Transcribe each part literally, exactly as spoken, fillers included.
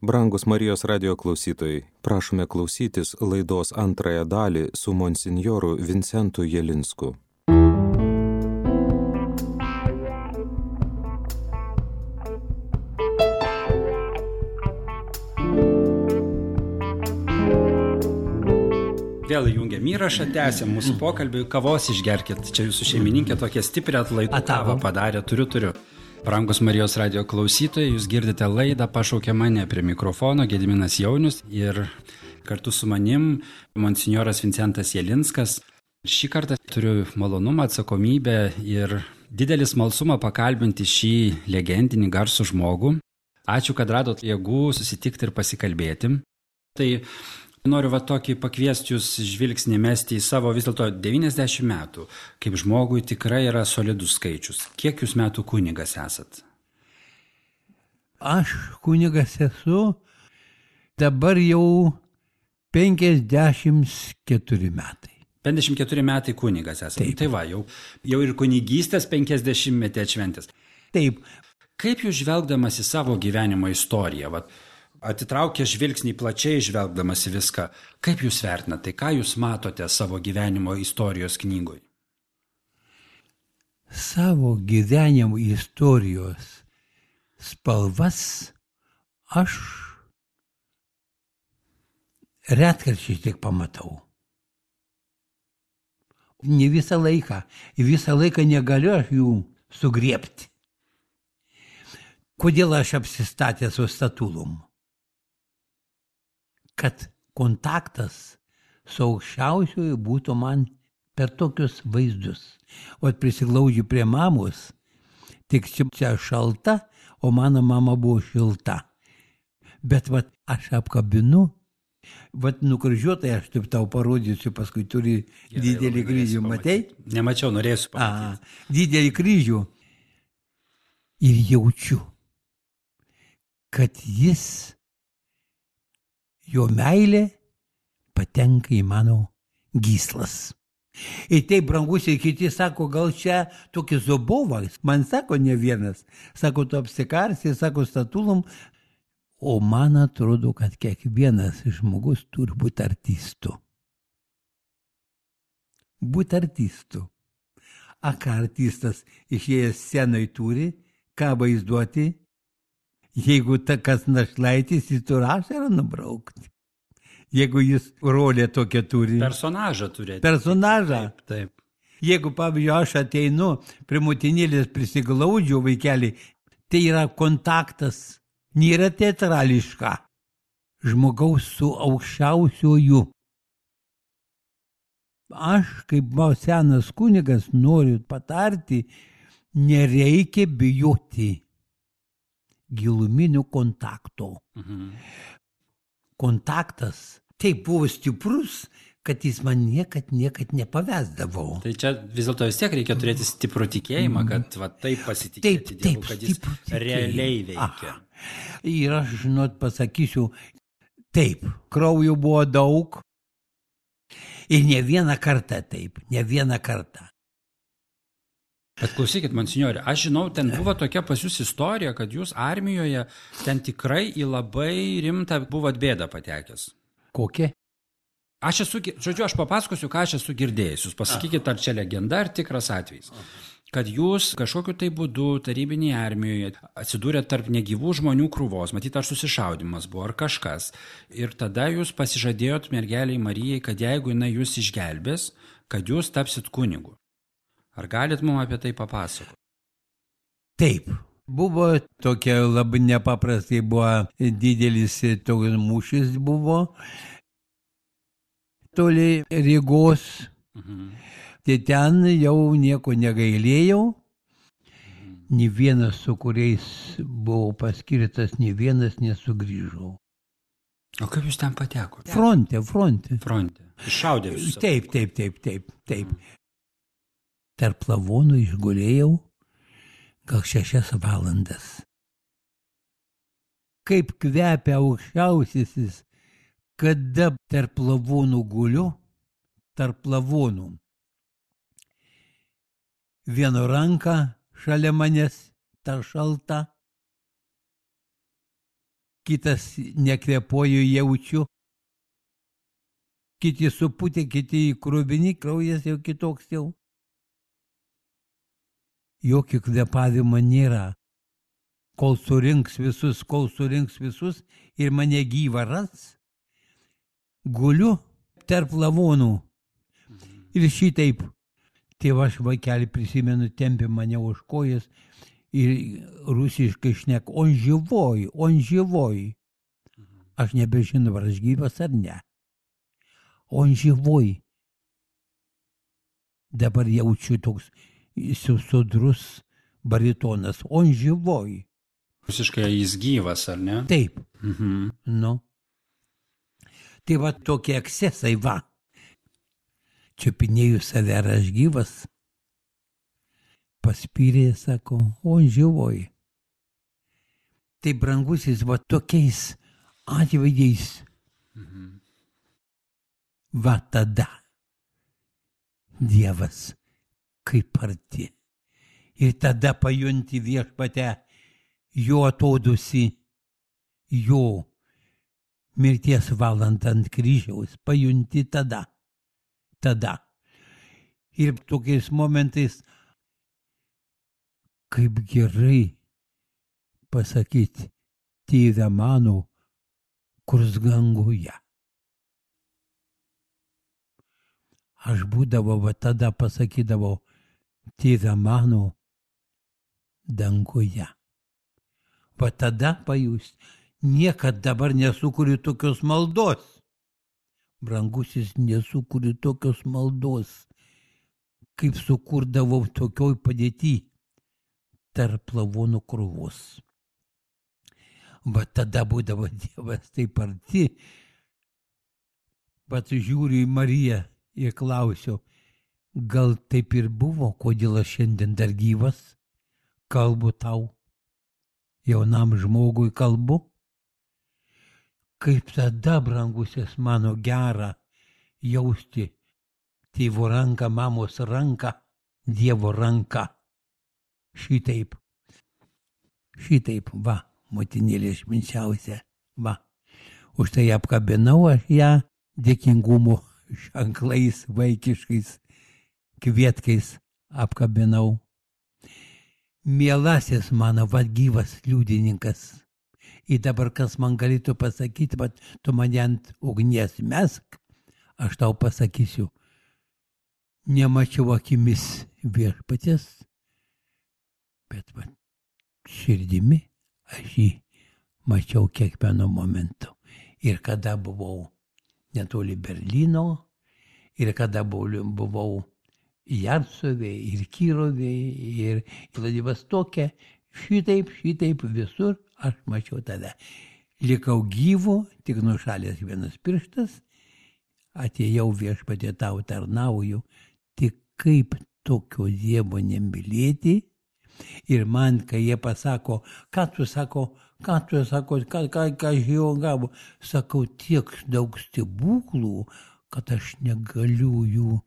Brangus Marijos radijo klausytojai, prašome klausytis laidos antrąją dalį su monsinjoru Vincentu Jelinsku. Vėl įjungiam įrašą, tęsiam mūsų pokalbį, kavos išgerkit. Čia jūsų šeimininkė tokia stiprią atlaidų kavą padarė, turiu, turiu. Brangus Marijos radijo klausytojai, jūs girdite laidą Pašaukė mane, prie mikrofono Gediminas Jaunius ir kartu su manim monsinjoras Vincentas Jelinskas. Šį kartą turiu malonumą, atsakomybę ir didelį smalsumą pakalbinti šį legendinį garsų žmogų. Ačiū, kad radot jėgų susitikti ir pasikalbėti. Tai noriu va tokį pakviesti jūs žvilgsnį mesti į savo vis dėlto devyniasdešimt metų, kaip žmogui tikrai yra solidus skaičius. Kiek jūs metų kunigas esat? Aš kunigas esu dabar jau penkiasdešimt keturi metai. penkiasdešimt keturi metai kunigas esat. Taip. Tai va, jau, jau ir kunigystės penkiasdešimtmetį atšventęs. Taip. Kaip jūs žvelgdamas į savo gyvenimo istoriją, va, atitraukia žvilgsnį plačiai žvelgdamas į viską, kaip jūs vertinate, tai ką jūs matote savo gyvenimo istorijos knygoj? Savo gyvenimo istorijos spalvas aš retkarčiai tik pamatau. Ne visą laiką, visą laiką negaliu aš jų sugriebti. Kodėl aš apsistatęs su statulum? Kad kontaktas su aukščiausiuoju būtų man per tokius vaizdus. O prisiglaudžiu prie mamos, tik čia šalta, o mano mama buvo šilta. Bet vat aš apkabinu, vat nukryžiuotai aš taip tau parodysiu, paskui turi Gerai, didelį kryžių, matei? Nemačiau, norėsiu pamatyti. A, didelį kryžių. Ir jaučiu, kad jis jo meilė patenka į mano gyslas. Ir taip, brangusiai, kiti sako, gal čia tokį zobovą. Man sako ne vienas. Sako, tu apsikarsi, sako, statulum. O man atrodo, kad kiekvienas žmogus turi būti artistu. Būti artistu. A ką artistas išėjęs scenai turi, ką vaizduoti? Jeigu ta kas našlaitis, jis turi ašarą nubraukti. Jeigu jis rolę tokią turi. Personažą turėti. Personažą. Taip, taip. Jeigu, pavyzdžiui, aš ateinu, prie motinėlės prisiglaudžiu vaikelį, tai yra kontaktas, nėra teatrališka. Žmogaus su aukščiausiuoju. Aš, kaip senas kunigas, noriu patarti, nereikia bijoti giluminių kontakto. Mhm. Kontaktas taip buvo stiprus, kad jis man niekad, niekad nepavesdavo. Tai čia vis dėlto vis tiek reikia turėti stiprų tikėjimą, kad va, taip pasitikėti taip, Dievu, taip, kad jis realiai veikia. Aha. Ir aš, žinot, pasakysiu, taip, kraujo buvo daug ir ne vieną kartą taip, ne vieną kartą. Bet klausykit, monsinjore, aš žinau, ten buvo tokia pas jūs istorija, kad jūs armijoje ten tikrai į labai rimtą buvot bėdą patekęs. Kokia? Aš esu, žodžiu, aš papasakosiu, ką aš esu girdėjęs. Jūs pasakykit, ar čia legenda, ar tikras atvejis. Kad jūs kažkokiu tai būdu tarybinėje armijoje atsidūrėt tarp negyvų žmonių krūvos, matyt, ar susišaudimas buvo, ar kažkas. Ir tada jūs pasižadėjot mergeliai Marijai, kad jeigu jinai jūs išgelbės, kad jūs tapsit kunigu. Ar galit mums apie tai papasakoti? Taip. Buvo tokia labai nepaprastai, buvo didelis toks mūšis buvo. Toli Rygos. Mhm. Tai ten jau nieko negailėjau. Mhm. Nė vienas, su kuriais buvau paskirtas, nė vienas nesugrįžau. O kaip jūs ten patekote? Fronte, fronte. Fronte. Iššaudė visus. Taip, taip, taip, taip, taip. Mhm. Tarp lavonų išgulėjau gal šešias valandas. Kaip kvepia aukščiausiasis, kada tarp lavonų guliu, tarp lavonų. Vieno ranka šalia manęs, ta šalta. kitas nekvėpuoju, jaučiu, kiti suputė, kiti kruvini, kraujas jau kitoks jau. Jokio kvėpavimo nėra. Kol surinks visus, kol surinks visus ir mane gyvą ras, guliu tarp lavonų. Ir šitaip, tėva aš vaikelį prisimenu, tempė mane už kojas ir rusiškai šnek, on živoj, on živoj. Aš nebežinau, ar aš gyvas ar ne. On živoj. Dabar jaučiu toks sudrus baritonas, on živoj. Rusiškai jis gyvas, ar ne? Taip. Mhm. Nu. Tai va tokie ekscesai, va. Čiupinėjau save, ar aš gyvas. Paspyrė, sako, on živoj. Tai brangusis, va tokiais atvejais. Mhm. Va tada Dievas kaip arti. Ir tada pajunti Viešpate jo atodusį, jo mirties valandą ant kryžiaus, pajunti tada, tada. Ir tokiais momentais, kaip gerai pasakyti, tėve mano, kurs danguje. Aš būdavau, va tada pasakydavau, tėve mano danguje. Va tada pajust, niekad dabar nesukuriu tokios maldos. Brangusis, nesukuriu tokios maldos, kaip sukurdavau tokioj padėty tarp lavonų krūvos. Va tada būdavo Dievas taip arti, bet žiūriu į Mariją ir klausiu, gal taip ir buvo, kodėl aš šiandien dar gyvas, kalbu tau, jaunam žmogui kalbu. Kaip tada, brangusis, mano gera jausti tėvo ranką, mamos ranką, Dievo ranką. Šitaip, šitaip, va, motinėlė švenčiausia, va. Už tai apkabinau aš ją dėkingumo ženklais, vaikiškais, kvietkais apkabinau. Mielasis mano, va, gyvas liudininkas. Ir dabar kas man galėtų pasakyti, bet tu mane ant ugnies mesk, aš tau pasakysiu. Nemačiau akimis Viešpaties, bet va, širdimi aš jį mačiau kiekvieno momentu. Ir kada buvau netoli Berlyno, ir kada buvau Jarcovė, ir Kirovė, ir Vladivostokė, šitaip, šitaip visur aš mačiau tada. Likau gyvu, tik nušalęs vienas pirštas, atėjau Viešpatie tau tarnauju, tik kaip tokio Dievo nemylėti. Ir man, kai jie pasako, ką tu sako, ką tu sako, ką, ką, ką žio gavo, sakau, tiek daug stebuklų, kad aš negaliu jų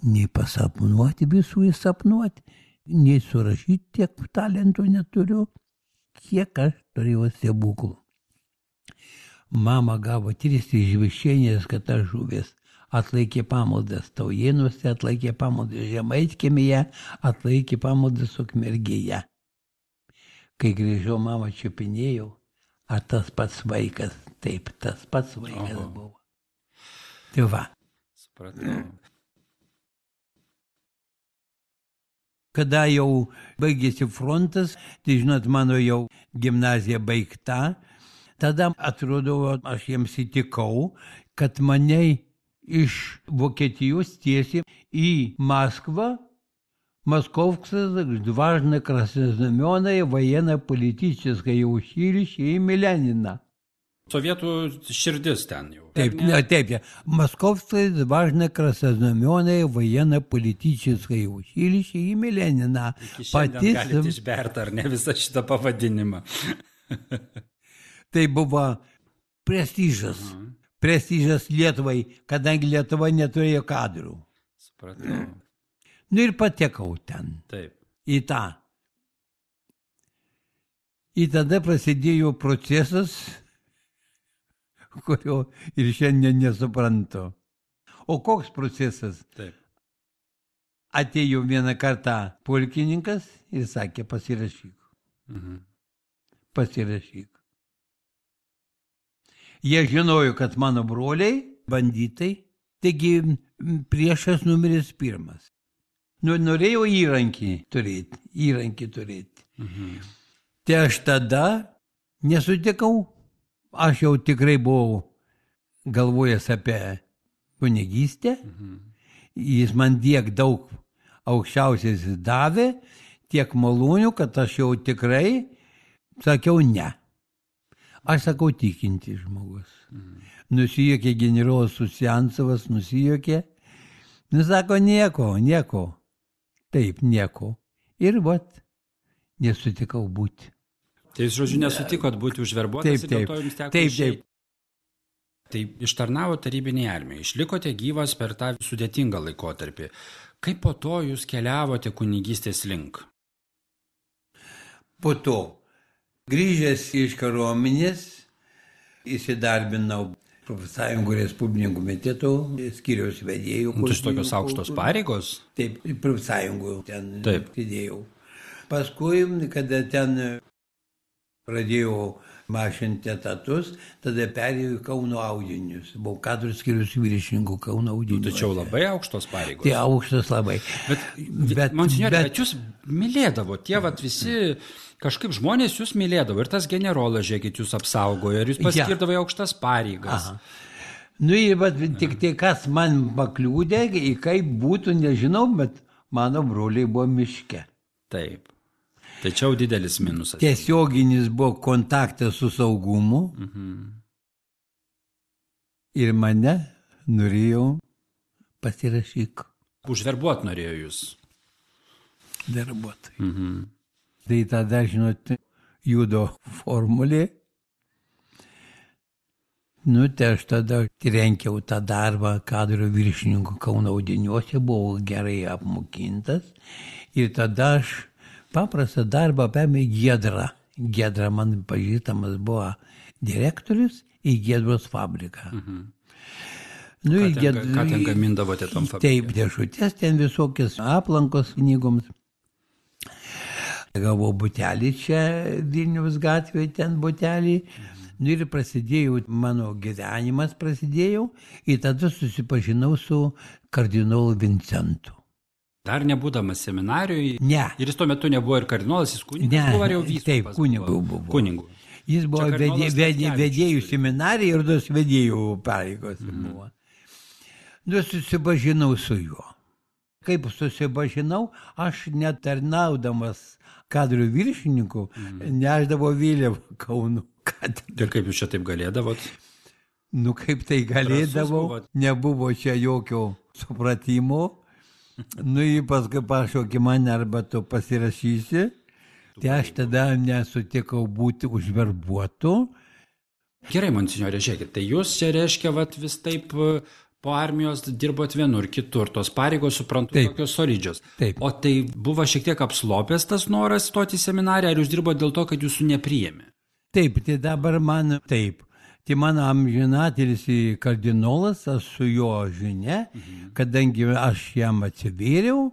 nei pasapnuoti, visų įsapnuoti, nei surašyti, tiek talentų neturiu, kiek aš turėjau stebuklų. Mama gavo tris išvišienės, kad aš žuvęs. Atlaikė pamaldas Taujėnuose, atlaikė pamaldas Žemaitkemėje, atlaikė pamaldas Ukmergėje. Kai grįžau, mama čiupinėjau, ar tas pats vaikas, taip, tas pats vaikas Oho. Buvo. Tai va. Supratau. Kada jau baigėsi frontas, tai žinot, mano jau gimnazija baigta, tada atrodo, aš jiems įtikau, kad mane iš Vokietijos tiesiai į Maskvą, Московское важное краснознаменное военно-политическое училище имени Ленина. Sovietų širdis ten jau. Taip, ne, taip, Московское важное краснознаменное военно-политическое училище имени Ленина. Iki šiandien galite išberti, ar ne, visą šitą pavadinimą. Tai buvo prestižas. Mhm. Prestižas Lietuvai, kadangi Lietuva neturėjo kadrų. Supratau. Nu ir patekau ten. Taip. Į tą. Ir tada prasidėjo procesas, kurio ir šiandien nesuprantu. O koks procesas? Taip. Atėjo vieną kartą pulkininkas ir sakė, pasirašyk. Mhm. Pasirašyk. Jie žinojo, kad mano broliai, banditai, taigi priešas numeris pirmas. Nu, norėjau įrankį turėti, įrankį turėti. Mhm. Tai aš tada nesutikau, aš jau tikrai buvau galvojęs apie kunigystę, Mhm. jis man tiek daug aukščiausiais davė, tiek malonių, kad aš jau tikrai sakiau ne. Aš sakau tikinti žmogus. Mhm. Nusijuokė generolas Susiancevas, nusijuokė. Nu, sako, nieko, nieko. Taip, nieko. Ir vat, nesutikau būti. Tai jūs, žodžiu, nesutikot būti užverbuotas Taip, ir dėl taip. to jums teko Taip, išeiti. taip. Tai ištarnavo tarybinėje armijoje, išlikote gyvas per tą sudėtingą laikotarpį. Kaip po to jūs keliavote kunigystės link? Po to, grįžęs iš kariuomenės, įsidarbinau Profsąjungų Respublikų komiteto skyriaus vedėjų. Nu, tai tokios aukštos pareigos? Taip, Profsąjungų ten Taip. sėdėjau. Paskui, kada ten pradėjau mažinti etatus, tada perėjau į Kauno audinius. Buvau kadrų skyrius viršininkų Kauno audinių. Tačiau labai aukštos pareigos. Tai aukštas labai. Bet, bet, monsinjore, bet jūs mylėdavo, tie vat visi, kažkaip žmonės jūs mylėdavo ir tas generolas, žiūrėkit, jūs apsaugojo ir jūs paskirdavo į aukštas pareigas. Aha. Nu ir bet tik tai kas man pakliūdė, į kaip būtų, nežinau, bet mano broliai buvo miške. Taip. Tačiau didelis minusas. Tiesioginis buvo kontaktas su saugumu Mhm. ir mane norėjau pasirašyk Užverbuot norėjo jūs. darbuotojai. Mhm. Tai tada, žinot, judo formulė. Nu, tai aš tada renkiau tą darbą kadro viršininkų Kauno audiniuose, buvau gerai apmokintas. Ir tada aš paprastą darbą paėmė Giedra. Giedra man pažįstamas buvo direktorius į Giedros fabriką. Mhm. Nu, Ką į ten, Gied- ką ten gamindavote tom fabrikam? Taip, dėžutės, ten visokios aplankos knygoms. Gavau butelį čia Vilniaus gatvėje, ten butelį. Nu ir prasidėjo, mano gyvenimas prasidėjo ir tada susipažinau su kardinolu Vincentu. Dar nebūdamas seminarijoje. Ne. Ir jis tuo metu nebuvo ir kardinolas, jis kunigas Ne, buvo ar jau vyskupas? taip, kunigu buvo. Kunigu. Jis buvo Čia vedė, kardinolas vedė, Statkevičius vedėjų turi. seminarija ir tos vedėjų pareigos buvo. Nu, susipažinau su juo. Kaip susipažinau, aš netarnaudamas kadrių viršininkų, neždavo vėliavą Kauno katedrą. Ir kaip jūs čia taip galėdavot? Nu, kaip tai galėdavau, buvot. nebuvo čia jokio supratimo. Nu, jį paskui pašaukė mane, arba tu pasirašysi. Tai aš tada nesutikau būti užverbuotu. Gerai, monsinjore, žiūrėkit, tai jūs čia reiškia, vat, vis taip e, po armijos dirbot vienur, kitur, tos pareigos, suprantu, Taip. tokios solidžios. Taip. O tai buvo šiek tiek apslopęs tas noras stoti į seminariją, ar jūs dirbote dėl to, kad jūsų nepriėmė? Taip, tai dabar man taip. Tai mano amžinatelis kardinolas, aš su jo žinia, Mhm. kadangi aš jam atsivėriau.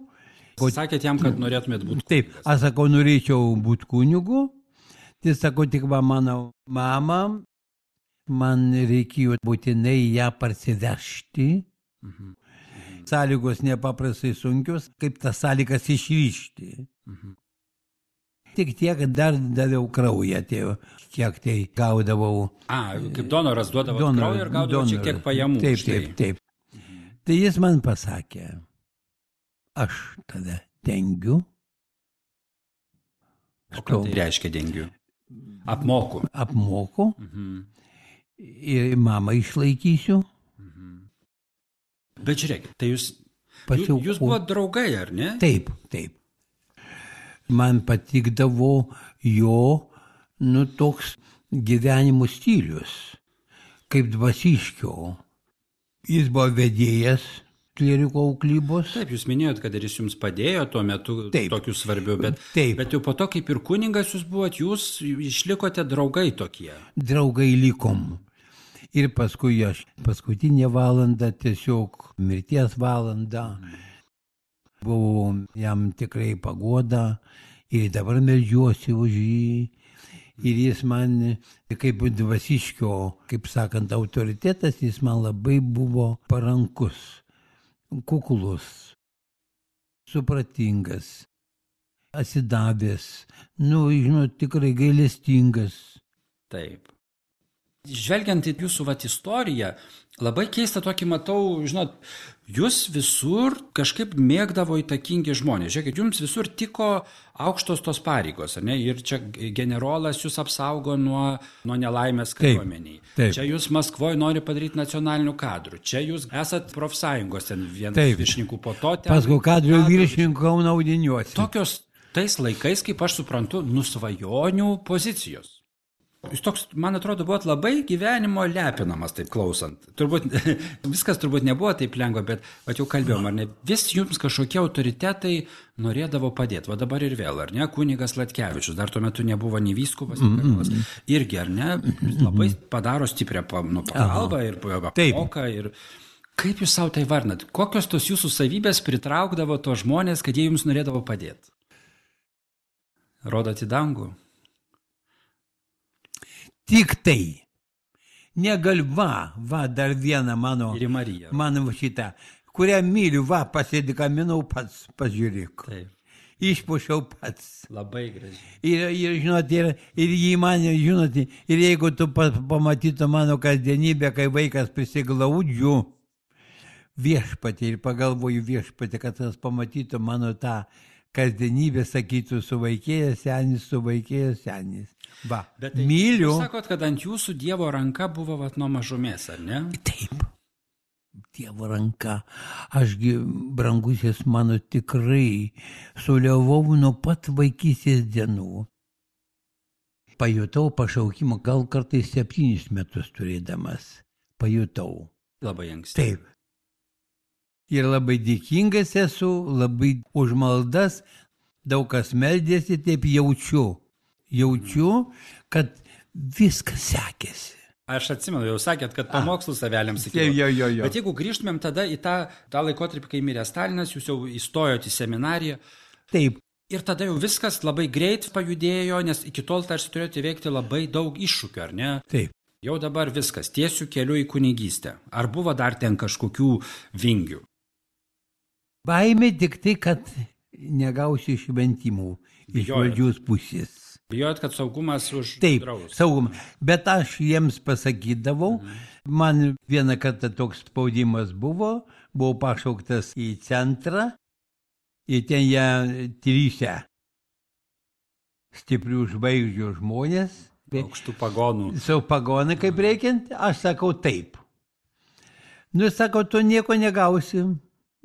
Sakėt jam, kad norėtumėt būti Taip, kunigas. aš sakau, norėčiau būti kunigu. Tai sakau, tik va mano mama, man reikėjo būtinai ją parsivežti. Mhm. Sąlygos nepaprastai sunkios, kaip tas sąlygas išryšti. Mhm. Tik tiek, kad dar daviau kraują, tai kiek tai gaudavau. A, kaip donoras duodavo Donoras, kraują ir gaudavo šiek tiek donoras. pajamų. Taip, už tai. taip, taip. Tai jis man pasakė, aš tada dengiu. O ką tai reiškia dengiu? Apmoku. Apmoku Mhm. ir mamą išlaikysiu. Bet žiūrėkit, tai jūs, Pasiau- jūs buvo draugai, ar ne? Taip, taip. Man patikdavo jo, nu, toks gyvenimo stilius, kaip dvasiškio. Jis buvo vedėjas klieriko auklybos. Taip, jūs minėjot, kad ir jis jums padėjo tuo metu Taip. tokiu svarbiu, bet, Taip. bet jau po to, kaip ir kuningas jūs buvot, jūs išlikote draugai tokie. Draugai likom. Ir paskui aš paskutinę valandą, tiesiog mirties valandą, buvau jam tikrai pagoda ir dabar meldžiuosi už jį. Ir jis man, kaip dvasiškio, kaip sakant, autoritetas, jis man labai buvo parankus, kuklus, supratingas, atsidavęs, nu, žinot, tikrai gailestingas. Taip. Žvelgiant į jūsų vat istoriją, labai keista tokį matau, žinot, jūs visur kažkaip mėgdavo įtakingi žmonės. Žiūrėkit, jums visur tiko aukštos tos pareigos, ar ne? Ir čia generolas jūs apsaugo nuo, nuo nelaimės kariuomeniai. Čia jūs Maskvoje nori padaryti nacionalinių kadrų. Čia jūs esat profsąjungos ten vienas viršininkų, po to ten... Paskui kadrių viršininkų Kauno audiniuose. Tokios tais laikais, kaip aš suprantu, nusvajonių pozicijos. Jūs toks, man atrodo, buvot labai gyvenimo lepinamas, taip klausant. Turbūt, viskas turbūt nebuvo taip lengva, bet, bet jau kalbėjom, ar ne, vis jums kažkokie autoritetai norėdavo padėti. Va dabar ir vėl, ar ne, kunigas Latkevičius, dar tuo metu nebuvo nei vyskupas, nei kardinolas. Irgi, ar ne, labai padaro stiprią nu, pagalbą ir pamoką. Ir kaip jūs savo tai varnat? Kokios tos jūsų savybės pritraukdavo tos žmonės, kad jie jums norėdavo padėti? Rodot į dangų? Tik tai. Negal, va, va, dar vieną mano, mano šitą, kurią myliu, va, pasėdikaminau pats, pažiūrėk. Taip. Išpušiau pats. Labai gražiai. Ir, ir žinot, ir, ir jį mane, žinot, ir jeigu tu pamatytum mano kasdienybę, kai vaikas prisiglaudžiu viešpatį ir pagalvoju viešpatį, kad tas pamatytų mano tą kasdienybę, sakytų, suvaikėjęs senis, suvaikėjęs senis. Va, bet tai, myliu. Jūs sakot, kad ant jūsų Dievo ranka buvo vat nuo mažumės, ar ne? Taip, Dievo ranka. Ašgi, brangusis mano, tikrai suliavau nuo pat vaikystės dienų. Pajutau pašaukimą, gal kartais septynis metus turėdamas. Pajutau. Labai anksti. Taip. Ir labai dėkingas esu, labai už maldas, daug kas meldėsi, taip jaučiu. Jaučiu, kad viskas sekėsi. Aš atsimenu, jau sakėt, kad pamokslus aveliams sakė. Jo, jo, jo. Bet jeigu grįžtumėm tada į tą, tą laikotarpį, kai mirė Stalinas, jūs jau įstojot į seminariją. Taip. Ir tada jau viskas labai greit pajudėjo, nes iki tol tarsi turėjote įveikti labai daug iššūkių, ar ne? Taip. Jau dabar viskas, tiesiu keliu į kunigystę. Ar buvo dar ten kažkokių vingių? Baimė tik tai, kad negausi šventimų iš valdžios pusės. Bijojot, kad saugumas už Taip, draus. saugumas. Bet aš jiems pasakydavau, mhm. man vieną kartą toks spaudimas buvo, buvau pašauktas į centrą ir ten jie trysia stiprių žvaigždžių žmonės. Aukštų pagonų. Su pagonai kaip reikiant, aš sakau taip. Nu, sakau, tu nieko negausi,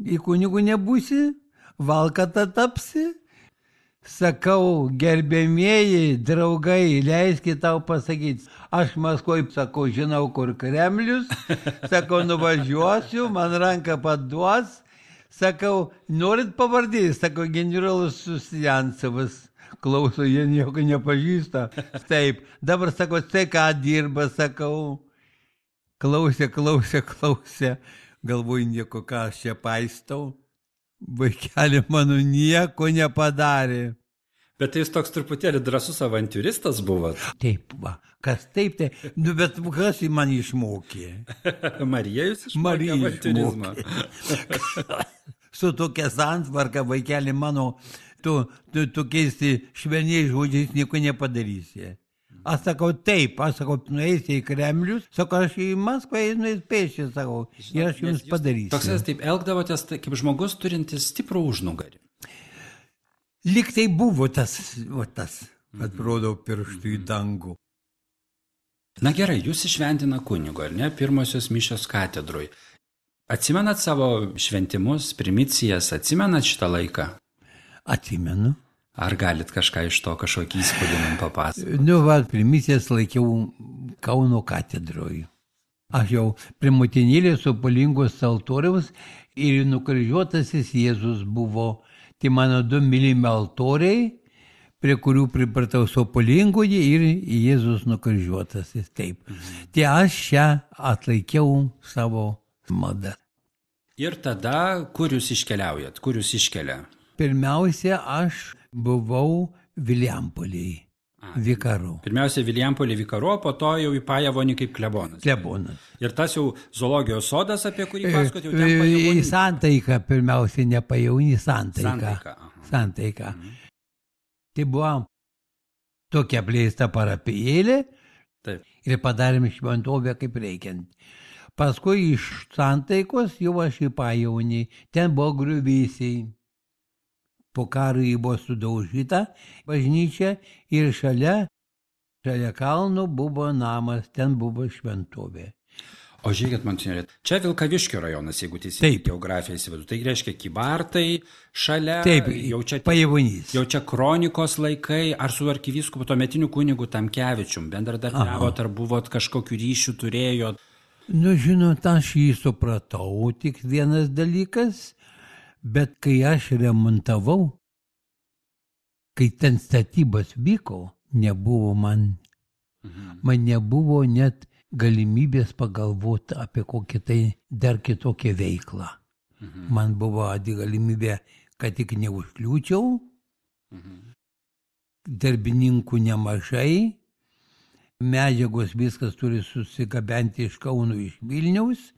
į kunigų nebūsi, valkata tapsi. Sakau, gerbėmieji, draugai, leiskit tau pasakyti. Aš Maskvoj, sakau, žinau, kur Kremlius. Sakau, nuvažiuosiu, man ranką paduos. Sakau, norit pavardį? Sakau, generolas Susjancevas. Klauso, jie nieko nepažįsta. Taip, dabar sakau, tai ką dirba, sakau. Klausė, klausė, klausė. Galvoju, nieko, ką aš čia paistau. Vaikelį mano nieko nepadarė. Bet tai jūs toks truputėlį drąsus avantiūristas buvot. Taip, va. Kas taip, tai. Nu, bet kas jį man išmokė? Marija jūs išmokė avantiūrizmą. Su tokia santvarka, vaikelį mano, tu, tu, tu keisti švelniai žodžiais nieko nepadarysi. Aš sakau, taip, aš sakau, nueisi į Kremlius, sakau, aš į Maskvą nueis pėsčiai, sakau, ir aš jums padarysiu. Toks jūs taip elgdavotės kaip žmogus turintis stiprų užnugarį. Lyg tai buvo tas, o tas, atrodo, pirštų į dangų. Na gerai, jūs įšventina kunigo, ar ne, pirmosios mišios katedroj. Atsimenat savo šventimus, primicijas, atsimenat šitą laiką? Atsimenu. Ar galit kažką iš to kažkokį įspūdį man papasakoti? Nu, va, primicijas laikiau Kauno katedroj. Aš jau prie motinėlės Sopolingos altoriaus ir nukryžiuotasis Jėzus buvo. Tai mano du mylimi altoriai, prie kurių pripratau Sopolingoje ir Jėzus nukryžiuotasis. Taip. Mhm. Tai aš čia atlaikiau savo maldą. Ir tada, kur jūs iškeliaujat, kur jūs iškelia? Pirmiausia, aš buvau Vilijampolėje, vikaru. Pirmiausia, Vilijampolė vikaru, po to jau į Pajavonį kaip klebonas. Klebonas. Ir tas jau zoologijos sodas, apie kurį pasakot, jau ten Pajavonį. Į Santaiką, pirmiausia, ne Pajavonį, Santaiką. Santaiką. Santaiką. Mhm. Tai buvo tokia plėsta parapijėlė. Taip. Ir padarėm šventovę kaip reikiant. Paskui iš Santaikos jau aš į Pajavonį. Ten buvo griuvėsiai. Po karo jį buvo sudaužyta bažnyčia ir šalia, šalia kalno buvo namas, ten buvo šventovė. O žiūrėkit, monsinjore, čia Vilkaviškio rajonas, jeigu teisingai geografiją įsivaizduoju. Tai reiškia Kybartai šalia. Taip, jau čia Pajavonys. Jau čia kronikos laikai, ar su arkivyskupu tuometiniu kunigu Tamkevičium bendradarbiavot, ar buvot kažkokių ryšių turėjot? Nu, žinot, aš jį supratau, tik vienas dalykas. Bet kai aš remontavau, kai ten statybos vyko, nebuvo man, mhm. man nebuvo net galimybės pagalvoti apie kokią tai dar kitokią veiklą. Mhm. Man buvo galimybė, kad tik neužkliūčiau, mhm. darbininkų nemažai, medžiagos viskas turi susigabenti iš Kauno, iš Vilniaus.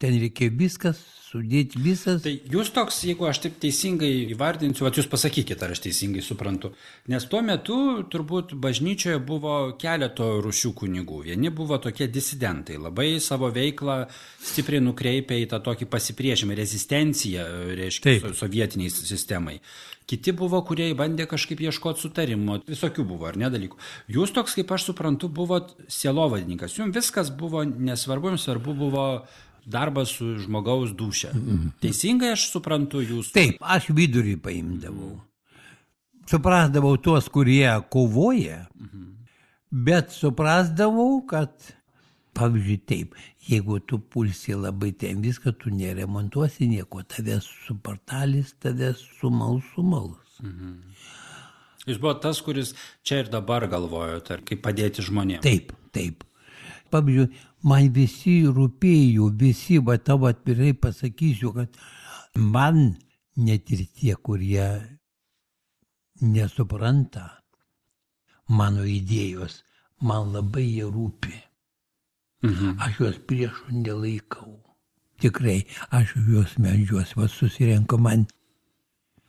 Ten reikia viskas, sudėti visas. Tai jūs toks, jeigu aš taip teisingai įvardinsiu, at jūs pasakykite, ar aš teisingai suprantu. Nes tuo metu turbūt bažnyčioje buvo keleto rūšių kunigų. Vieni buvo tokie disidentai, labai savo veiklą stipriai nukreipė į tą tokį pasipriešimą, rezistenciją, reiškia, so, sovietiniai sistemai. Kiti buvo, kurie bandė kažkaip ieškoti sutarimo, visokių buvo, ar ne dalykų. Jūs toks, kaip aš suprantu, buvot sielovadininkas. Jums viskas buvo nesvarbu, jums svarbu buvo darbas su žmogaus dūšia. Teisingai aš suprantu jūs? Taip, aš vidurį paimdavau. Suprasdavau tuos, kurie kovoja, bet suprasdavau, kad, pavyzdžiui, taip, jeigu tu pulsi labai ten viską, tu neremontuosi nieko, tavęs supartalis, tavęs sumals, sumals. Mhm. Jūs buvo tas, kuris čia ir dabar galvojote, kaip padėti žmonėms. Taip, taip. Pavyzdžiui, man visi rūpėjo, visi, va tavo atvirai pasakysiu, kad man net ir tie, kurie nesupranta mano idėjos, man labai jie rūpi. Mhm. Aš juos priešų nelaikau. Tikrai, aš juos medžiuos, va susirenku man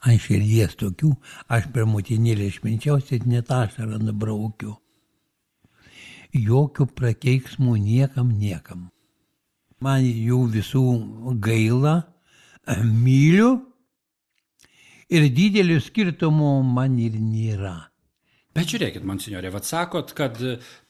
ant širdies tokių, aš per motinėlę išminčiausiai net ašarą nubraukiu. Jokių prakeiksmų niekam, niekam. Man jų visų gaila, myliu ir didelio skirtumo man ir nėra. Bet žiūrėkit, monsinjore, vat sakot, kad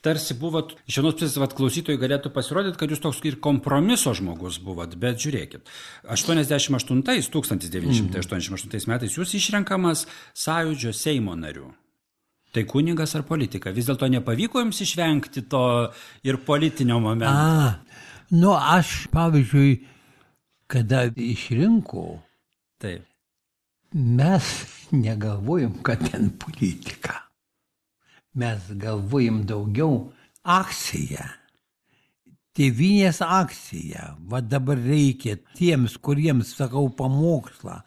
tarsi buvot, iš vienos pusės, vat klausytojai galėtų pasirodyti, kad jūs toks ir kompromiso žmogus buvot, bet žiūrėkit, aštuoniasdešimt aštuntais, tūkstantis devyni šimtai aštuoniasdešimt aštuntais metais jūs išrenkamas Sąjūdžio Seimo nariu. Tai kunigas ar politika? Vis dėlto nepavyko jums išvengti to ir politinio momento? A, nu aš, pavyzdžiui, kada išrinko, taip. Mes negalvojom, kad ten politika. Mes galvojom daugiau akciją. Tėvynės akcija. Va dabar reikia tiems, kuriems sakau pamokslą,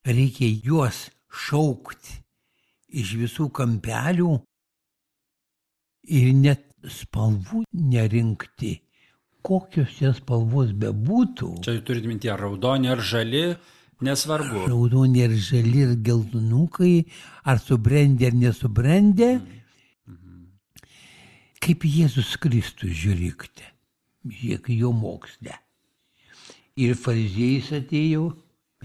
reikia juos šaukti iš visų kampelių ir net spalvų nerinkti, kokios jas spalvos bebūtų. Čia turite minti, ar raudoni, ar žali, nesvarbu. Raudoni, ar žali, ir geltonukai, ar subrendę, ar nesubrendę. Mhm. Kaip Jėzus Kristus, žiūrėkite, žiūrėk jo moksle. Ir fariziejais atėjo.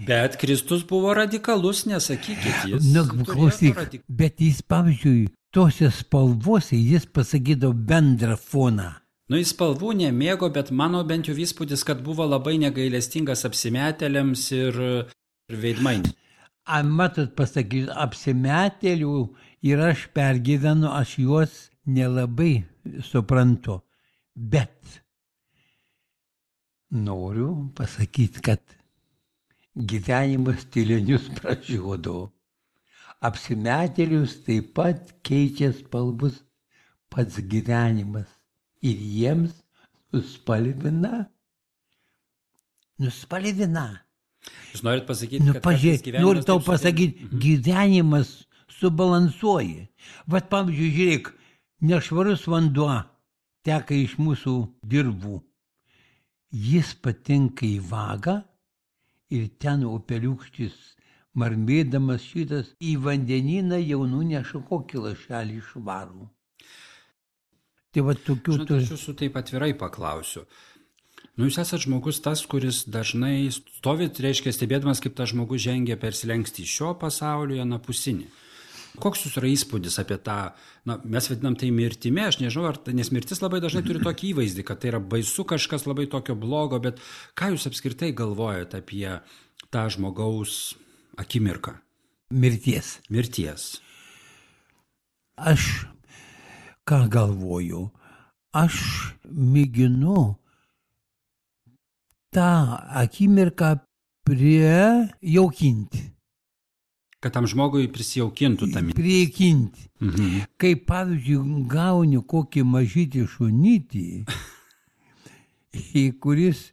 Bet Kristus buvo radikalus, nesakykit, jis. Nu, klausyk, radik... bet jis, pavyzdžiui, tose spalvose jis pasakydavo bendrą foną. Nu, jis spalvų nemėgo, bet mano bent jau įspūdis, kad buvo labai negailestingas apsimetėliams ir, ir veidmainiams. A, matot, pasakysiu, apsimetėlių ir aš pergyvenu, aš juos nelabai suprantu. Bet Noriu pasakyti, kad gyvenimas tylenius pražiodo. Apsimetėlius taip pat keičia spalvus pats gyvenimas ir jiems nuspalvina. Nuspalvina. Jūs norit pasakyti, Nu, kad pažiūrėk, gyvenimas noriu tau taip sudėt- pasakyti, mhm. gyvenimas subalansuoja. Vat pavyzdžiui, žiūrėk, nešvarus vanduo teka iš mūsų dirvų. Jis patinka į vagą ir ten upeliukštis marmėdamas šitas į vandenyną jau nuneša kokį lašelį švarų. Tai va tokių Žinot, turi. aš jūsų taip atvirai paklausiu. Nu, jūs esate žmogus tas, kuris dažnai stovit, reiškia, stebėdamas, kaip tas žmogus žengia per slenkstį šio pasaulio į anapusinį. Koks jūsų yra įspūdis apie tą, na, mes vadinam tai mirtimi, aš nežinau, ar, nes mirtis labai dažnai turi tokį įvaizdį, kad tai yra baisu kažkas labai tokio blogo, bet ką jūs apskritai galvojate apie tą žmogaus akimirką? Mirties. Mirties. Aš ką galvoju? Aš mėginu tą akimirką prijaukinti. Kad tam žmogui prisijaukintų tą mirtį. Priekinti. Mhm. Kai, pavyzdžiui, gauni kokį mažytį šunytį, į kuris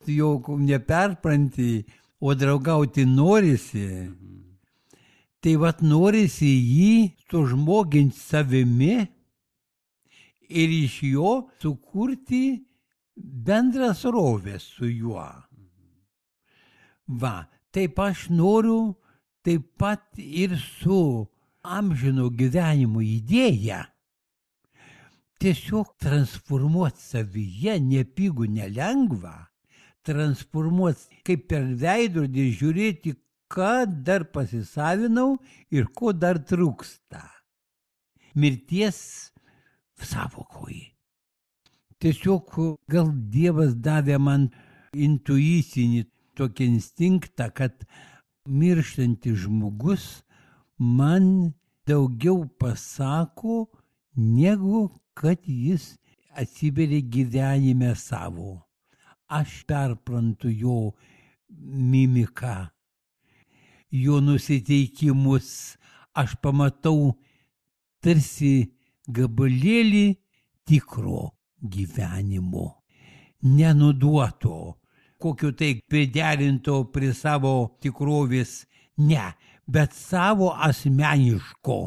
jau neperpranti, o draugauti norisi, tai vat norisi jį sužmoginti savimi ir iš jo sukurti bendrą srovę su juo. Va, taip aš noriu taip pat ir su amžino gyvenimo idėja tiesiog transformuoti savyje, nepigų, nelengva, transformuoti kaip per veidrodį, žiūrėti, ką dar pasisavinau ir ko dar trūksta. Mirties sąvokoje. Tiesiog gal Dievas davė man intuicinį tokį instinktą, kad mirštantis žmogus man daugiau pasako, negu kad jis atsiveria gyvenime savo. Aš perprantu jo mimiką, jo nusiteikimus, aš pamatau tarsi gabalėlį tikro gyvenimo, nenuduoto, kokio tai priderinto prie savo tikrovės, ne, bet savo asmeniško.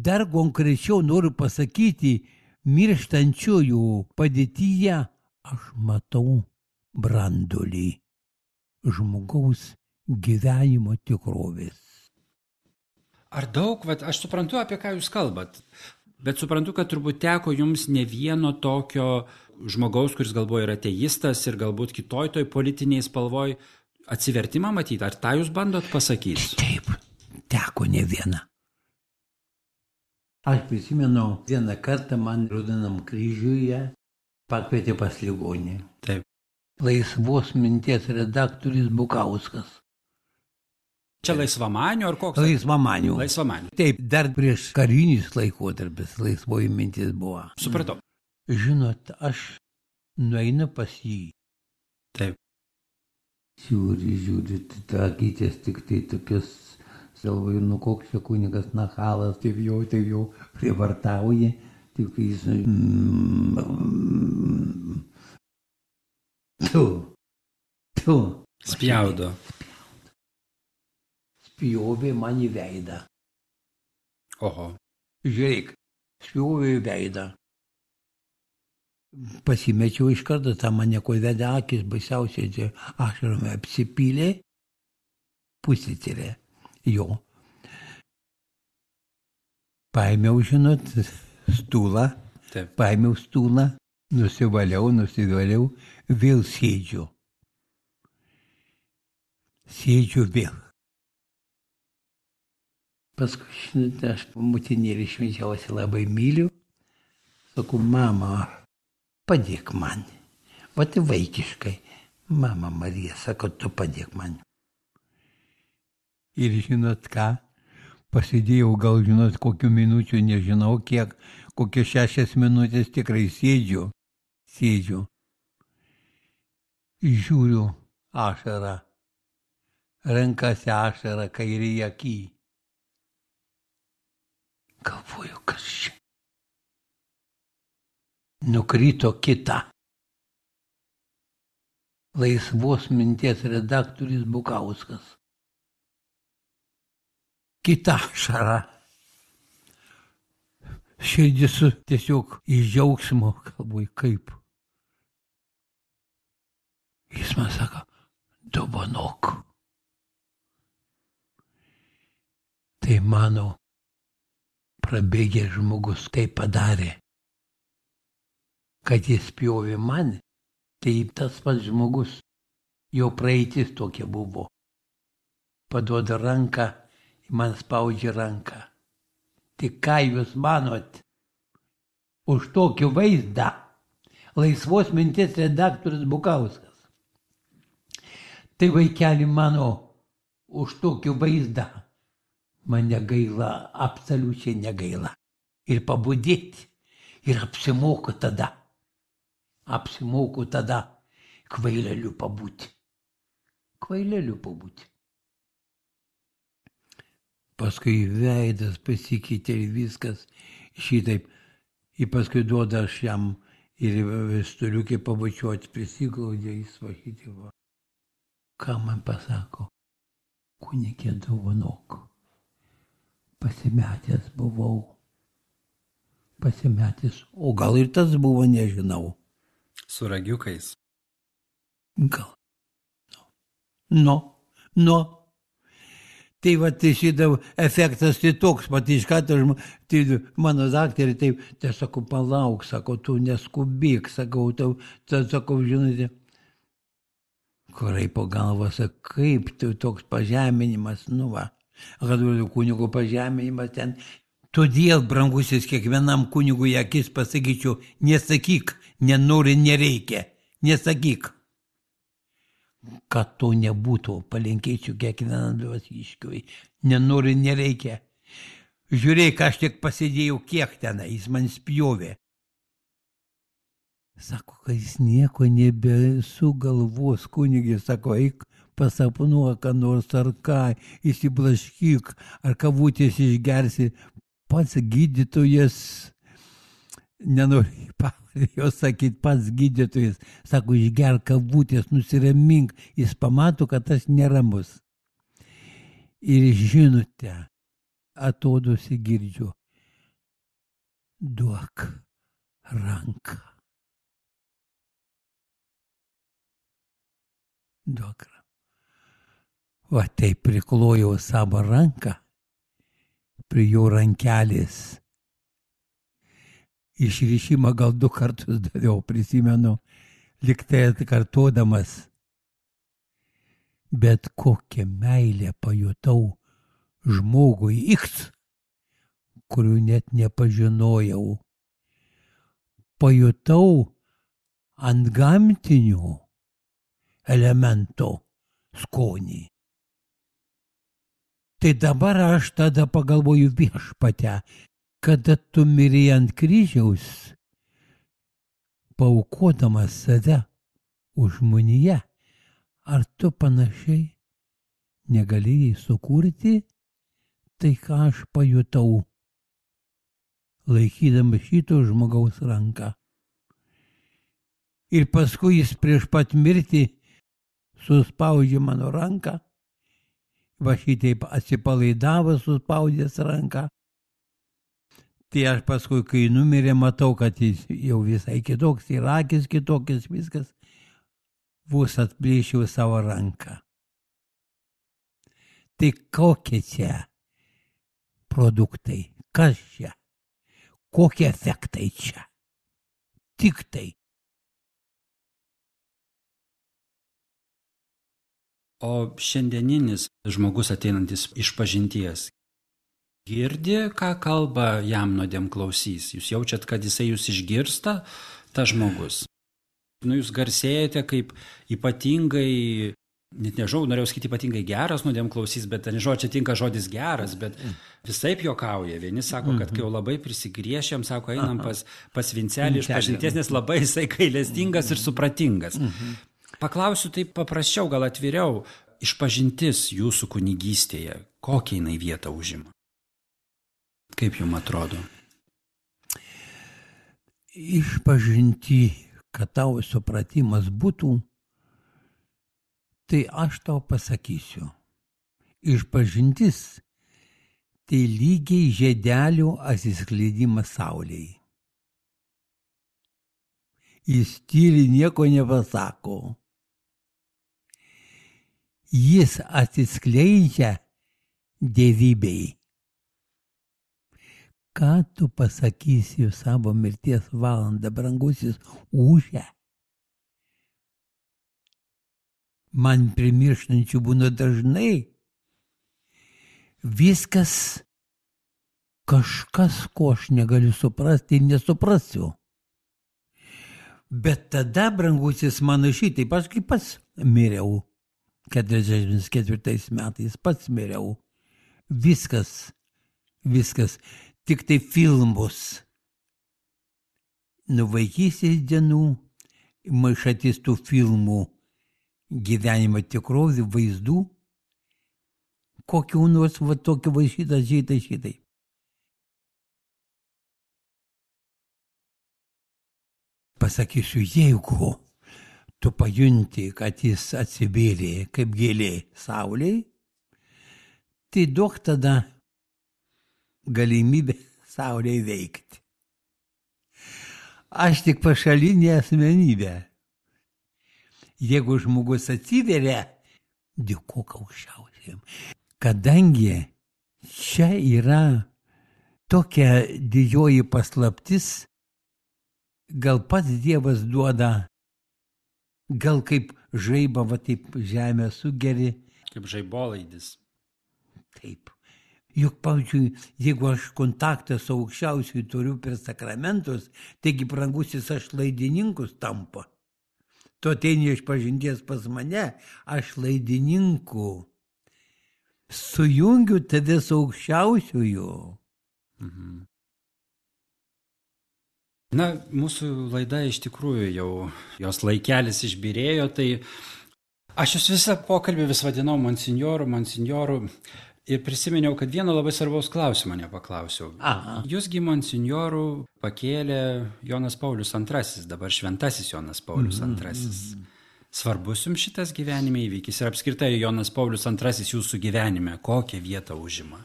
Dar konkrečiau noriu pasakyti, mirštančiųjų padėtyje aš matau branduolį žmogaus gyvenimo tikrovės. Ar daug, vat, aš suprantu, apie ką jūs kalbat, bet suprantu, kad turbūt teko jums ne vieno tokio žmogaus, kuris galbūt yra ateistas ir galbūt kitoj toj politiniai spalvoj atsivertimą matyti. Ar tą jūs bandot pasakyti? Taip, teko ne viena. Aš prisimenu, vieną kartą man Raudonam kryžiuje pakvietė pas ligonį. Taip. Laisvos minties redaktorius Bukauskas. Čia laisvamanių ar koks? Laisvamanių. Laisvamanių. Taip, dar prieš karinis laikotarpis laisvoji mintis buvo. Supratau. Žinot, aš nueinu pas jį. Taip. Žiūri, žiūri, ta akytės tik tai tokios, galvoju, nu koks čia kunigas nachalas, taip jau, taip jau prievartauja, tik jis... Tu, tu. Spjaudo. Spjovė man į veidą. Oho. Žiūrėk, spjovė į veidą. Pasimečiau iš karto, tą mane ko vedė akis, baisiausiai čia ašarome apsipylė, pusėtirė jo. Paėmiau, žinot, stūlą, Taip. paėmiau stūlą, nusivaliau, nusivaliau, vėl sėdžiu. Sėdžiu vėl. Paskui, žinot, aš motinėlį švenčiausiai labai myliu. Sakau, mama, padėk man. Vat vaikiškai. Mama Marija, sako, tu padėk man. Ir žinot ką? Pasidėjau gal, žinot, kokių minučių, nežinau kiek, kokios šešias minutės tikrai sėdžiu. Sėdžiu. Žiūriu ašarą. Renkasi ašarą kairėje akį. Galvoju, kas čia. Nukrito kita. Laisvos minties redaktorius Bukauskas. Kita ašara. Širdis tiesiog iš džiaugsmo, galvoju, kaip. Jis man sako, dovanok. Tai mano prabėgęs žmogus tai padarė, kad jis pjovė man, tai tas pats žmogus, jo praeitis tokia buvo. Paduoda ranką, man spaudžia ranką. Tik ką jūs manot? Už tokį vaizdą laisvos minties redaktorius Bukauskas. Tai vaikeli mano, už tokį vaizdą man negaila, absoliučiai negaila. Ir pabudėti, ir apsimoku tada. Apsimoku tada kvaileliu pabūti. Kvaileliu pabūti. Paskui veidas pasikeitė ir viskas šitaip. Ir paskui duoda aš jam ir vestuliukį pabučiuoti, prisiglaudė jis va šitai va. Ką man pasako? Kunigė dovanok. Pasimetęs buvau. Pasimetęs. O gal ir tas buvo, nežinau. Su ragiukais. Gal. Nu, nu. Tai va, tai šitą efektas tai toks, pat iš karto tai mano daktarė, tai, tai sakau, palauk, sakau, tu neskubėk, sakau, tau, tai sakau, žinote, kurai po galvą, sakau, kaip tai toks pažeminimas, nu va, kad kunigo pažeminimas ten. Todėl, brangusis, kiekvienam kunigui akis pasakyčiau, nesakyk, nenori, nereikia, nesakyk. Kad to nebūtų, palinkėčiau kiekvienam dvasiškiui. Nenori, nereikia. Žiūrėk, aš tik pasidėjau kiek tenai, jis man spjovė. Sako, kad jis nieko nebesugalvos, kunigė, sako, eik pasapnuok, ką nors ar ką, įsiblaškyk, ar kavutės išgersi. Pats gydytojas, nenori jo sakyti, pats gydytojas, sako, išgerk kavutės, nusiramink, jis pamato, kad aš neramus. Ir žinote, atodusi girdžiu, duok ranką. Duok ranką. Va taip priklojau savo ranką prie jo rankelės. Išrišimą gal du kartus daviau, prisimenu, liktai atkartodamas. Bet kokią meilę pajutau žmogui X, kurių net nepažinojau. Pajutau ant gamtinių elemento skonį. Tai dabar aš tada pagalvoju viešpatę, kada tu mirei ant kryžiaus, paaukodamas save už žmoniją, ar tu panašiai negalėjai sukurti tai, ką aš pajutau, laikydama šito žmogaus ranką. Ir paskui jis prieš pat mirtį suspaudžia mano ranką, va šitaip atsipalaidavo, suspaudęs ranką. Tai aš paskui, kai numirė, matau, kad jis jau visai kitoks, ir akis kitokias, viskas, vos atplėšiau savo ranką. Tai kokie čia produktai, kas čia, kokie efektai čia, tik tai. O šiandieninis žmogus ateinantis iš pažinties, girdi, ką kalba jam nuodėmklausys? Jūs jaučiat, kad jisai jūs išgirsta, tas žmogus. Nu, jūs garsėjate kaip ypatingai, net nežinau, norėjau sakyti ypatingai geras nuodėmklausys, bet nežinau, čia tinka žodis geras, bet visaip juokauja. Vieni sako, kad kai jau labai prisigriešėm, sako, einam pas, pas Vincelį iš pažinties, nes labai jisai gailestingas ir supratingas. Paklausiu taip paprasčiau, gal atviriau, išpažintis jūsų kunigystėje, kokią jinai vietą užima? Kaip jums atrodo? Išpažinti, kad tavo supratimas būtų, tai aš tau pasakysiu. Išpažintis tai lygiai žiedelių atsiskleidimas saulėje. Jis tyli nieko nepasako. Jis atsiskleidžia dievybei. Ką tu pasakysi savo mirties valandą, brangusis, ūžia? Man primirštančių būna dažnai. Viskas kažkas, ko aš negaliu suprasti ir nesuprasiu. Bet tada, brangusis, mano šitaip, aš kaip pats miriau, keturiasdešimt ketvirtais metais pats miriau. Viskas, viskas, tik tai filmus. Nuo vaikystės dienų maišatis tų filmų gyvenimo tikrovį, vaizdų, kokių nors, va tokių va šitą, šitai, šitai. Pasakysiu, jeigu tu pajunti, kad jis atsivėrė kaip gėlė saulėj, tai duok tada galimybę saulėj veikti. Aš tik pašalinė asmenybė. Jeigu žmogus atsiveria, dėkok aukščiausiam. Kadangi čia yra tokia didžioji paslaptis, gal pats Dievas duoda, gal kaip žaibą, va taip žemę sugeri. Kaip žaibolaidis. Taip. Juk, pavyzdžiui, jeigu aš kontaktą su aukščiausiu turiu per sakramentus, taigi brangusis aš laidininkus tampa. Tu ateini išpažinties pas mane, aš laidininku. Sujungiu tave su aukščiausiuoju. Mhm. Na, mūsų laida iš tikrųjų jau, jos laikelis išbyrėjo, tai aš jūs visą pokalbį vis vadinau monsinjoru, monsinjoru ir prisiminiau, kad vieno labai svarbaus klausimo nepaklausiau. Aha. Jūsgi monsinjoru pakėlė Jonas Paulius antrasis, dabar šventasis Jonas Paulius antrasis. Svarbus jums šitas gyvenime įvykis ir apskritai Jonas Paulius antrasis jūsų gyvenime, kokią vietą užima?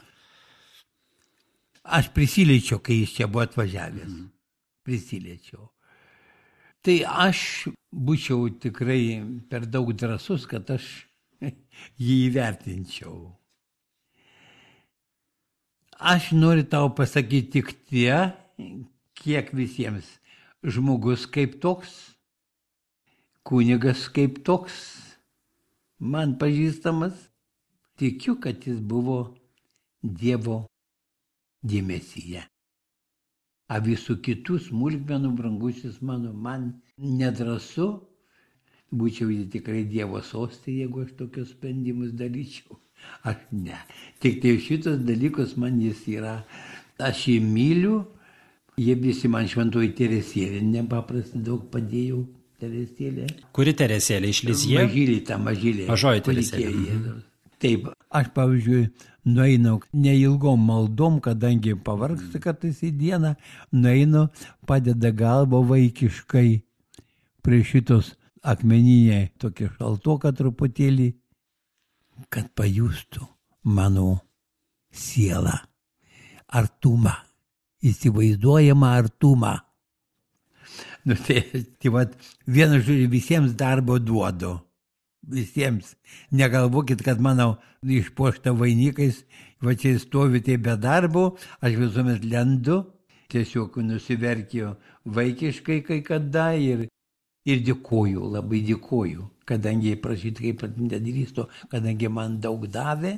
Aš prisiliečiau, kai jis čia buvo atvažiavęs. Mm. Prisiliečiau. Tai aš būčiau tikrai per daug drąsus, kad aš jį įvertinčiau. Aš noriu tau pasakyti tik tie, kiek visiems žmogus kaip toks, kunigas kaip toks, man pažįstamas, tikiu, kad jis buvo Dievo dėmesyje. A visų kitų smulkmenų, brangusis mano, man nedrąsu, būčiau tikrai Dievo sostė, jeigu aš tokius sprendimus daryčiau. Aš ne. Tik tai šitos dalykus man jis yra, aš jį myliu, jie visi man šventoji Teresėlė, nepaprastai daug padėjau Teresėlė. Kuri Teresėlė iš Lizjė? Mažylė, ta mažylė. Mažoji Teresėlė. Taip, aš pavyzdžiui, nueinu neilgom maldom, kadangi pavargstu kartais į dieną, nueinu, padeda galvą vaikiškai prie šitos akmeninė, tokia šaltoka truputėlį, kad pajustų mano sielą, artumą, įsivaizduojamą artumą. Nu tai, tai vat, vienu žodžiu, visiems darbo duodu. Visiems. Negalvokit, kad mano išpuošta vainikais, va čia stovi tai be darbo, aš visuomet lendu, tiesiog nusiverkiu vaikiškai kai kada ir, ir dėkoju, labai dėkoju, kadangi prašyti kaip nedrįstu, kadangi man daug davė,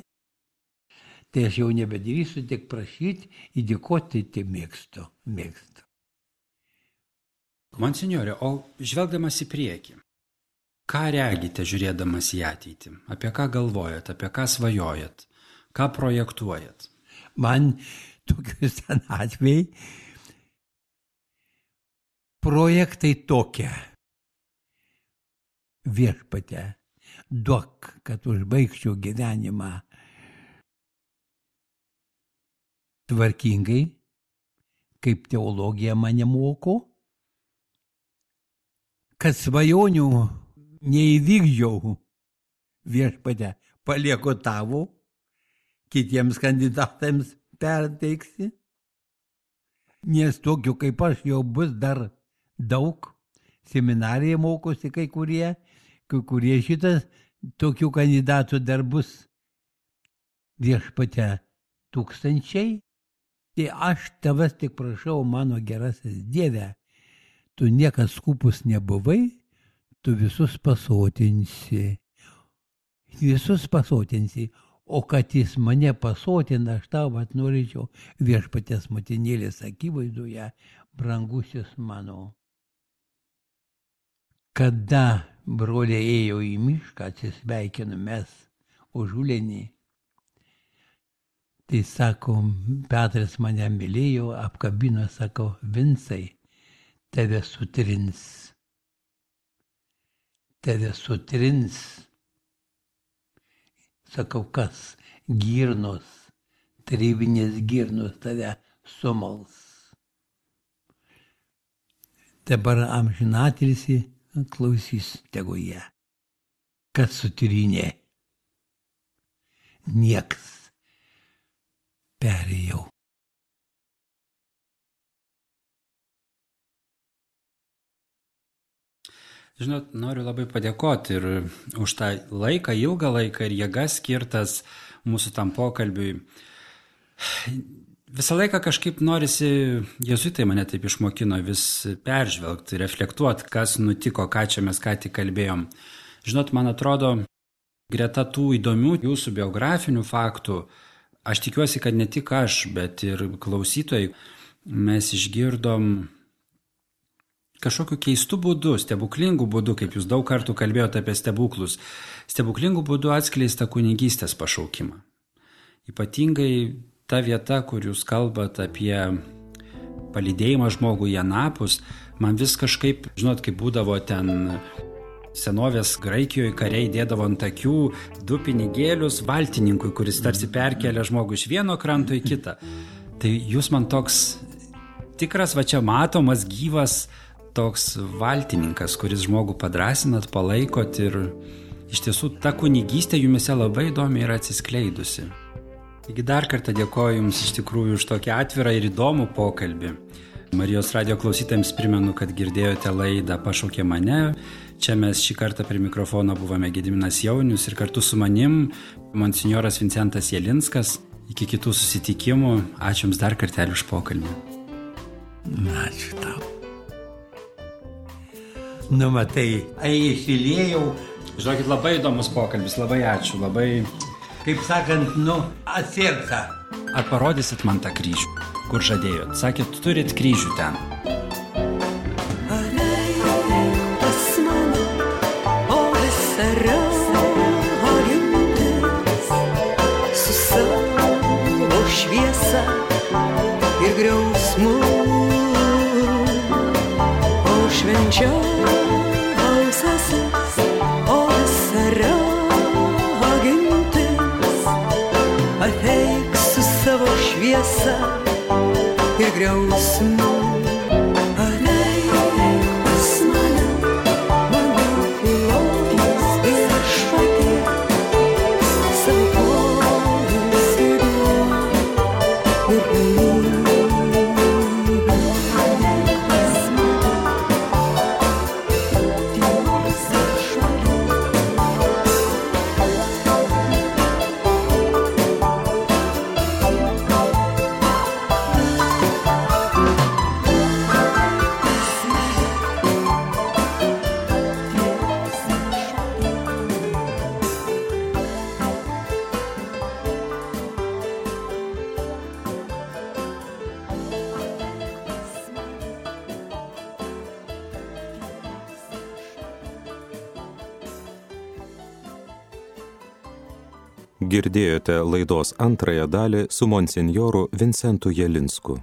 tai aš jau nebedrįstu tik prašyti, įdėkoti, tai mėgstu, mėgstu. Monsinjore, o žvelgdamas į priekį, ką regite žiūrėdamas į ateitį? Apie ką galvojat, apie ką svajojat, ką projektuojat? Man tokius ten atvejai projektai tokie. Viešpatie, duok, kad užbaigčiau gyvenimą tvarkingai, kaip teologija mane moko, kad svajonių neįvykdžiau, Viešpatie, palieku tavo, kitiems kandidatams perteiksi, nes tokių kaip aš jau bus dar daug, seminarija mokosi kai kurie, kai kurie šitas, tokių kandidatų dar bus, Viešpatie, tūkstančiai. Tai aš tavas tik prašau, mano gerasis Dieve, tu niekas skupus nebuvai, tu visus pasotinsi. Visus pasotinsi, o kad jis mane pasotina, aš tau vat norėčiau Viešpaties motinėlės akivaizdoje, brangusis mano. Kada broliai ėjo į mišką, atsisveikinu mes užulenį, tai sako, Petras mane mylėjo, apkabino, sako, Vincai, tave sutrins. Tave sutrins. Sakau, kas? Girnos, tarybinės girnos tave sumals. Dabar amžinatilsį klausys tegu jie. Kas sutrynė? Nieks. Perėjau. Žinot, noriu labai padėkoti ir už tą laiką, ilgą laiką ir jėgas skirtas mūsų tam pokalbiui. Visą laiką kažkaip norisi, jėzuitai mane taip išmokino, vis peržvelgti, reflektuoti, kas nutiko, ką čia mes ką tik kalbėjom. Žinot, man atrodo, greta tų įdomių jūsų biografinių faktų, aš tikiuosi, kad ne tik aš, bet ir klausytojai, mes išgirdom kažkokiu keistu būdu, stebuklingų būdu, kaip jūs daug kartų kalbėjote apie stebuklus, stebuklingų būdu atskleista kunigystės pašaukimą. Ypatingai ta vieta, kur jūs kalbat apie palydėjimą žmogų į anapus, man vis kažkaip, žinot, kaip būdavo ten senovės Graikijoje kariai dėdavo ant akių du pinigėlius valtininkui, kuris tarsi perkelia žmogų iš vieno kranto į kitą. Tai jūs man toks tikras, va čia matomas, gyvas toks valtininkas, kuris žmogų padrasinat, palaikot ir iš tiesų ta kunigystė jumise labai įdomiai yra atsiskleidusi. Taigi dar kartą dėkoju Jums iš tikrųjų už tokį atvirą ir įdomų pokalbį. Marijos radijo klausytojams primenu, kad girdėjote laidą Pašaukė mane. Čia mes šį kartą prie mikrofono buvome Gediminas Jaunius ir kartu su manim monsinjoras Vincentas Jelinskas. Iki kitų susitikimų. Ačiū Jums dar kartelį už pokalbį. Ačiū tau. Nu, matai, įsiliejau. Žinokit, labai įdomus pokalbis, labai ačiū, labai... Kaip sakant, nu, atsirka. Ar parodysit man tą kryžių, kur žadėjot? Sakėt, turit kryžių ten. Šviesa ir griausmu, o švenčiausiasis, o visa ragintis, ateik su savo šviesa ir griausmu. Girdėjote laidos antrąją dalį su monsinjoru Vincentu Jelinsku.